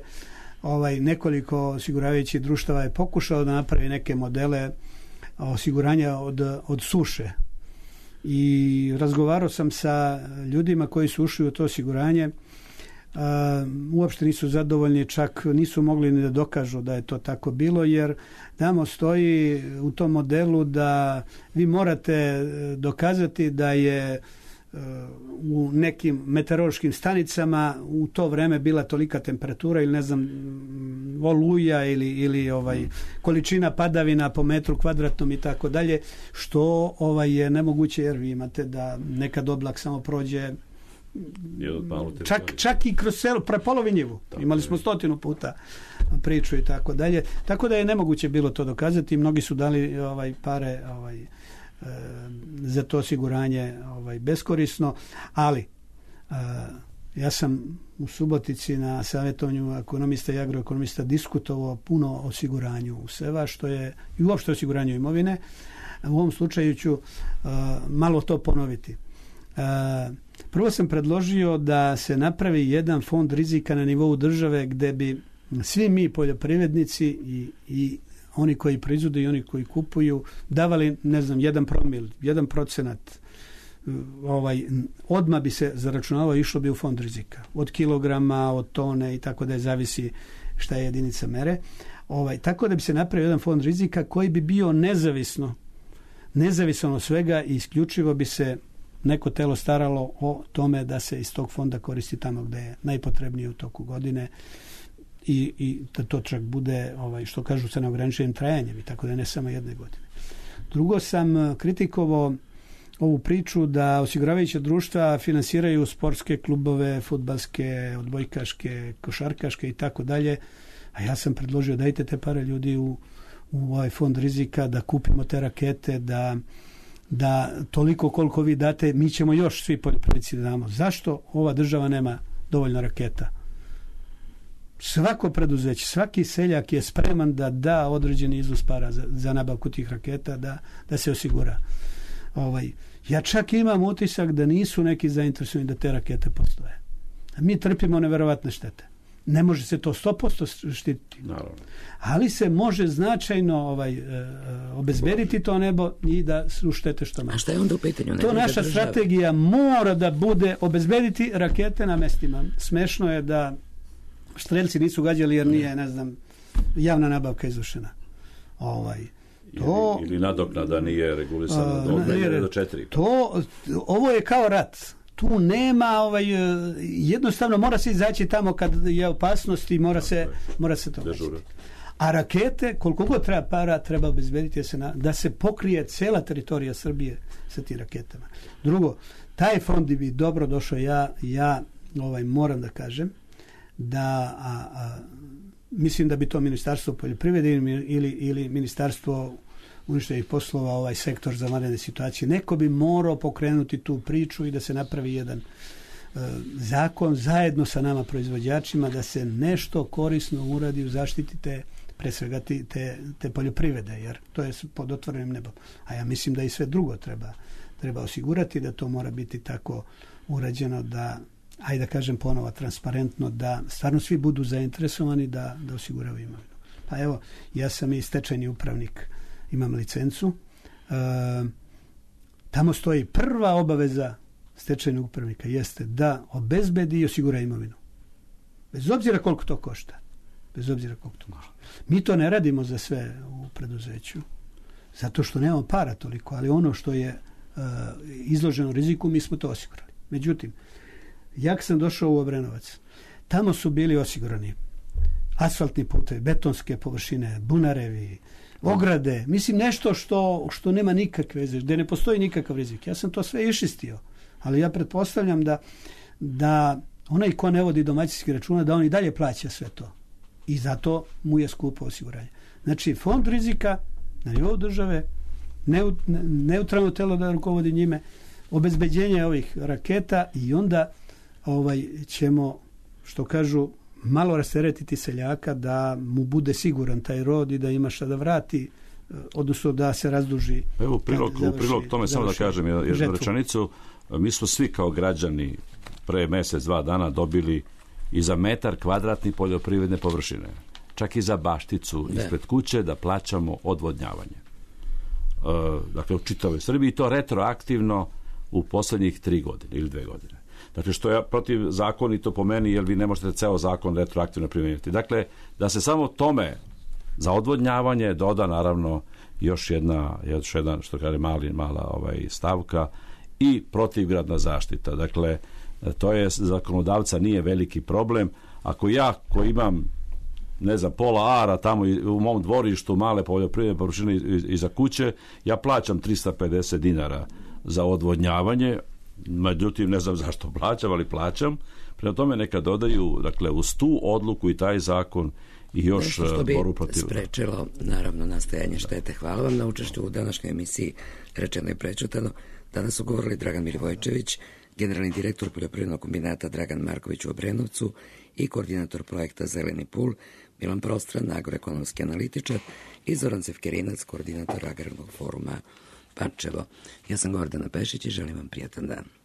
nekoliko osiguravajućih društava je pokušao da napravi neke modele osiguranja od suše. I razgovarao sam sa ljudima koji su ušli u to osiguranje. Uopšte nisu zadovoljni, čak nisu mogli ni da dokažu da je to tako bilo, jer tamo stoji u tom modelu da vi morate dokazati da je u nekim meteorološkim stanicama u to vreme bila tolika temperatura ili ne znam oluja ili količina padavina po metru kvadratnom i tako dalje, što je nemoguće, jer vi imate da nekad oblak samo prođe čak i kroz selo, prepolovi njivu. Imali smo 100 puta priču i tako dalje. Tako da je nemoguće bilo to dokazati. Mnogi su dali pare za to osiguranje beskorisno, ali ja sam u Subotici na savjetovanju ekonomista i agroekonomista diskutovao puno o osiguranju useva, što je i uopšte osiguranju imovine. u ovom slučaju ću malo to ponoviti. Prvo sam predložio da se napravi jedan fond rizika na nivou države gde bi svi mi poljoprivrednici i oni koji proizvode i oni koji kupuju davali, ne znam, 1 promil, 1%, odmah bi se zaračunavao i išlo bi u fond rizika. Od kilograma, od tone i tako da zavisi šta je jedinica mere. Tako da bi se napravio jedan fond rizika koji bi bio nezavisno od svega i isključivo bi se neko telo staralo o tome da se iz tog fonda koristi tamo gde je najpotrebnije u toku godine i da to čak bude, što kažu, sa neograničenim trajanjem i tako da ne samo jedne godine. Drugo, sam kritikovao ovu priču da osiguravajuća društva finansiraju sportske klubove, fudbalske, odbojkaške, košarkaške i tako dalje, a ja sam predložio dajte te pare ljudi u ovaj fond rizika, da kupimo te rakete, da toliko koliko vi date, mi ćemo još svi poljoprivrednici da damo. Zašto ova država nema dovoljno raketa? Svako preduzeće, svaki seljak je spreman da da određeni iznos para za nabavku tih raketa, da se osigura. Ja čak imam utisak da nisu neki zainteresovani da te rakete postoje. Mi trpimo neverovatne štete. Ne može se to 100% štititi. Naravno. Ali se može značajno obezbediti to nebo i da su štete što manje. A šta je onda u pitanju? To naša strategija mora da bude obezbediti rakete na mestima. Smešno je da strelci nisu gađali jer nije, ne znam, javna nabavka izvršena. Ili nadoknada nije regulisana do 4. Ovo je kao rat. Tu nema, jednostavno mora se izaći tamo kad je opasnost i mora se to dežurati. A rakete, koliko god treba para, treba obezbediti da se pokrije cela teritorija Srbije sa tim raketama. Drugo, taj fond bi dobro došao, ja moram da kažem da mislim da bi to Ministarstvo poljoprivrede ili Ministarstvo unutrašnjih poslova, ovaj sektor za vanredne situacije, neko bi morao pokrenuti tu priču i da se napravi jedan zakon zajedno sa nama proizvođačima da se nešto korisno uradi u zaštiti pre svega te poljoprivrede, jer to je pod otvorenim nebom. A ja mislim da i sve drugo treba osigurati, da to mora biti tako urađeno da, ajde da kažem ponovo, transparentno, da stvarno svi budu zainteresovani da osiguravaju imovinu. Pa evo, ja sam i stečajni upravnik, imam licencu. Tamo stoji prva obaveza stečajnog upravnika jeste da obezbedi i osigura imovinu. Bez obzira koliko to košta. Mi to ne radimo za sve u preduzeću, zato što nemamo para toliko, ali ono što je izloženo riziku, mi smo to osigurali. Međutim, jak sam došao u Obrenovac, tamo su bili osigurani asfaltni putevi, betonske površine, bunarevi, ograde, mislim nešto što nema nikakve veze, gde ne postoji nikakav rizik. Ja sam to sve iščistio, ali ja pretpostavljam da onaj ko ne vodi domaćinski računa, da on i dalje plaća sve to. I zato mu je skupo osiguranje. Znači, fond rizika na nivou države, neutralno telo da rukovodi njime, obezbeđenje ovih raketa i onda ćemo, što kažu, malo rasteretiti seljaka da mu bude siguran taj rod i da ima šta da vrati, odnosno da se razduži. Evo, u prilog tome samo da kažem jednu rečenicu. Mi smo svi kao građani pre mesec, 2 dana dobili i za metar kvadratni poljoprivredne površine, čak i za bašticu ispred kuće da plaćamo odvodnjavanje. Dakle, u čitavoj Srbiji, i to retroaktivno u poslednjih 3 godine ili 2 godine. Dakle, što je protivzakonito po meni, jer vi ne možete ceo zakon retroaktivno primijeniti. Dakle, da se samo tome za odvodnjavanje doda naravno još jedna što kaže mala stavka i protivgradna zaštita. Dakle, to je zakonodavca nije veliki problem. Ako ja koji imam, ne znam, pola ara tamo u mom dvorištu male poljoprivredne površine iza kuće, ja plaćam 350 dinara za odvodnjavanje, međutim ne znam zašto plaćam, ali plaćam. Prema tome neka dodaju, dakle, uz tu odluku i taj zakon i još boru protiv. Što bi sprečilo, naravno, nastajanje štete. Hvala vam na učešću u današnjoj emisiji Rečeno i prečutano. Danas su govorili Dragan Milivojčević, generalni direktor poljoprivrednog kombinata Dragan Marković u Obrenovcu i koordinator projekta Zeleni pul Milan Prostran, agroekonomski analitičar, i Zoran Cevkerinac, koordinator Agrarnog foruma Pančevo. Ja sam Gordana Pešić i želim vam prijatan dan.